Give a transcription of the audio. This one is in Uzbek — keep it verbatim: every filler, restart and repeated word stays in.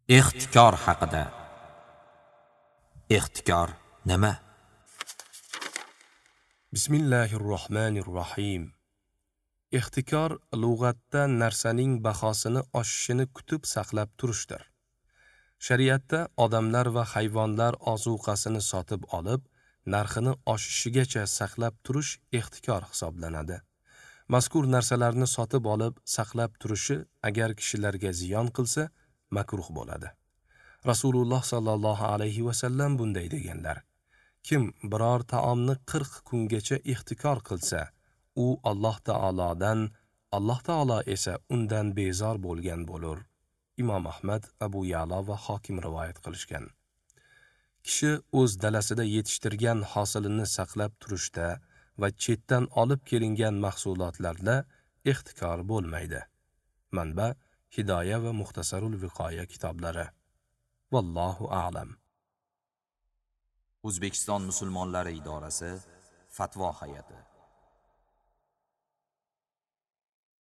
Ixtikor haqida. Ixtikor nima? Bismillahirrohmanirrohim. Ixtikor lug'atda narsaning bahosini oshishini kutib saqlab turishdir. Shariatda odamlar va hayvonlar ozuqasini sotib olib, narxini oshishigacha saqlab turish ixtikor hisoblanadi. Mazkur narsalarni sotib olib, saqlab turishi agar kishilarga ziyon qilsa, makruh bo'ladi. Rasululloh sallallohu alayhi va sallam bunday deganlar: Kim biror taomni qirq kungacha ixtikor qilsa, u Alloh taolodan, Alloh taolo esa undan bezor bo'lgan bo'lur. Imom Ahmad, Abu Ya'lo va Hokim rivoyat qilishgan. Kishi o'z dalasida yetishtirgan hosilini saqlab turishda va chetdan olib kelingan mahsulotlarda ixtikor bo'lmaydi. Manba: Hidoya va Muxtasarul Viqoya kitoblari. Vallohu a'lam. O'zbekiston musulmonlari idorasi Fatvo hay'ati.